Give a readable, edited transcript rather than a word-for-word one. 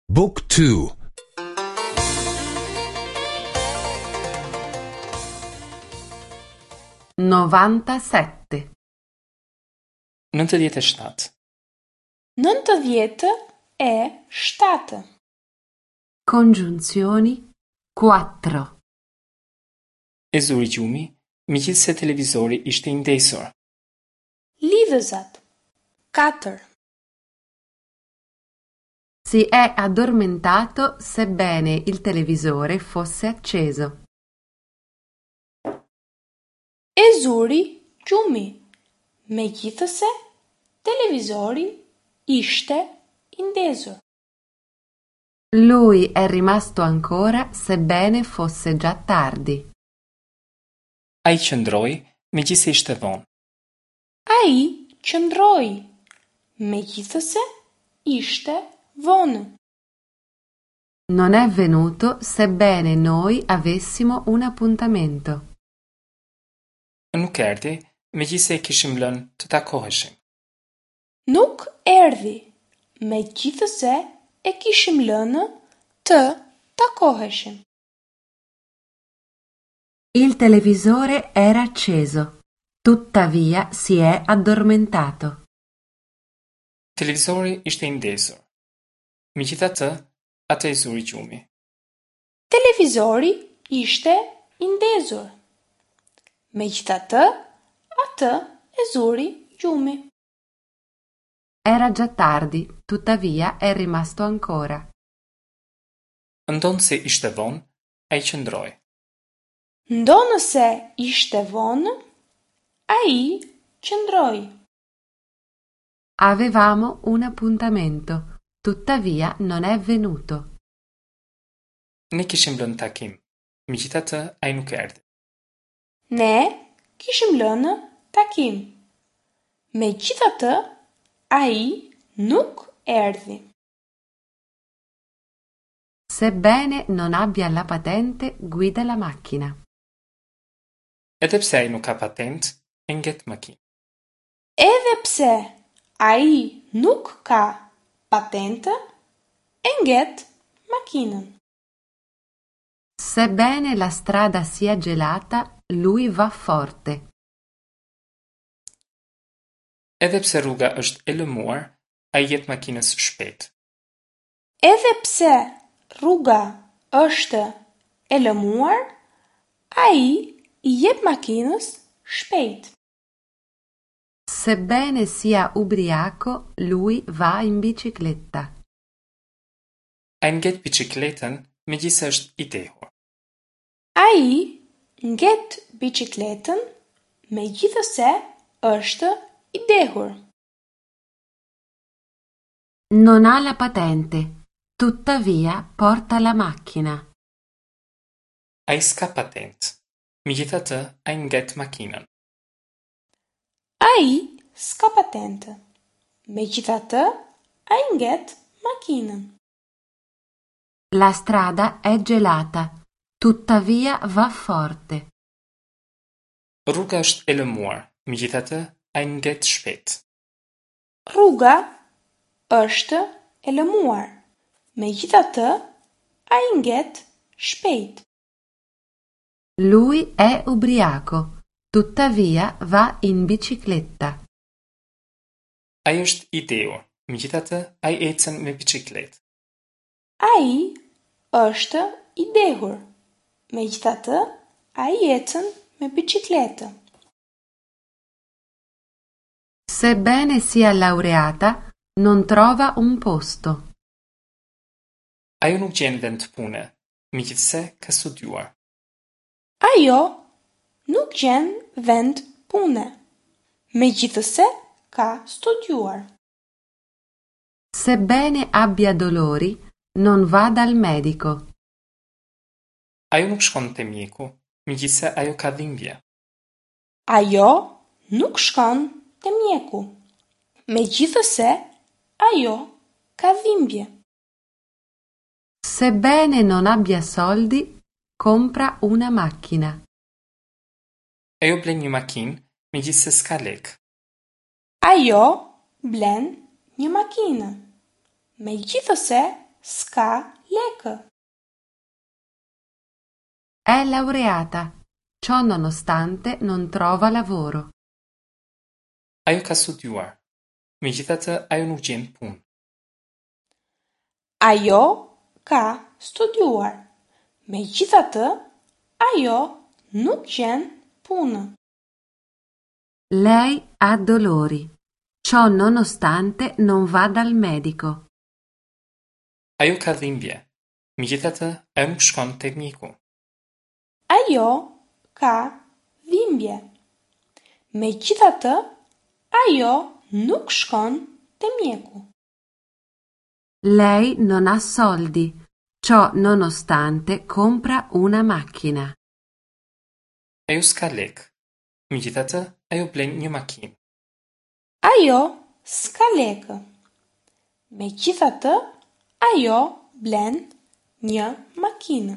Book 2 97. 97. 97. Congiunzioni 4. E zuri gjumi, megjithëse televizori ishte i ndezur. Lidhëzat 4. Si è addormentato sebbene il televisore fosse acceso. E zuri gjumi, megjithëse televizori ishte i ndezur. Lui è rimasto ancora sebbene fosse già tardi. Ai qëndroi, megjithëse ishte vonë. Ai qëndroi, megjithëse ishte vonë. Non è venuto sebbene noi avessimo un appuntamento. Nuk erdhi, megjithëse e kishim lënë të takoheshim. Nuk erdhi, megjithëse e kishim lënë të takoheshim. Il televisore era acceso, tuttavia si è addormentato. Televizori ishte i ndezur. Megjithatë, atë e zuri gjumi. Televizori ishte i ndezur. Megjithatë, atë e zuri gjumi. Era già tardi, tuttavia è rimasto ancora. Ndonëse ishte vonë, ai qëndroi. Ndonëse ishte vonë, ai qëndroi. Avevamo un appuntamento, tuttavia non è venuto. Ne kishim lënë takim, megjithatë ai nuk erdhi. Ne kishim lënë takim. Megjithatë, ai nuk erdhi. Sebbene non abbia la patente, guida la macchina. Edhe pse ai nuk ka patentë, e nget makinën. Edhe pse ai nuk ka patentë, e nget makinën. Sebbene la strada sia gelata, lui va forte. Edhe pse rruga është e lëmuar, ai i jep makinës shpejt. Edhe pse rruga është e lëmuar, ai i jep makinës shpejt. Sebbene sia ubriaco, lui va in bicicletta. Ai nget biçikletën, megjithëse është i dehur. Ai nget biçikletën, megjithëse është i dehur. Non ha la patente, tuttavia porta la macchina. Ai s'ka patentë, megjithatë ai nget makinën. Ai s'ka patentë, megjithatë ai nget makinën. La strada è gelata, tuttavia va forte. Rruga është e lëmuar, megjithatë ai nget shpejt. Rruga është e lëmuar, megjithatë ai nget shpejt. Lui è ubriaco, tuttavia va in bicicletta. Ai është i dehur, megjithatë ai ecën me biçikletë. Ai është i dehur, megjithatë ai ecën me biçikletë. Sebbene sia laureata, non trova un posto. Ajo nuk gjen vend pune, megjithëse ka studiuar. Ajo nuk gjen vend pune, megjithëse ka studiuar. Sebbene abbia dolori, non va dal medico. Ajo nuk shkon te mjeku, megjithëse ajo ka dhimbje. Ajo nuk shkon te mjeku, megjithëse ajo ka dhimbje. Sebbene non abbia soldi, compra una macchina. Ajo blen një makinë, megjithëse s'ka lekë. Ajo blen një makinë, megjithëse s'ka lekë. È laureata, ciò nonostante non trova lavoro. Ajo ka studiuar. Megjithatë, ajo nuk gjen punë. Ajo ka studiuar. Megjithatë, ajo nuk gjen punë. Lei ha dolori, ciò nonostante non va dal medico. Ajo ka dhimbje. Megjithatë, ajo nuk shkon te mjeku. Ajo ka dhimbje. Megjithatë, ajo nuk shkon te mjeku. Lei non ha soldi, ciò nonostante compra una macchina. Ajo s'ka lekë. Megjithatë, ajo blen një makinë. Ajo s'ka lekë. Megjithatë, ajo blen një makinë.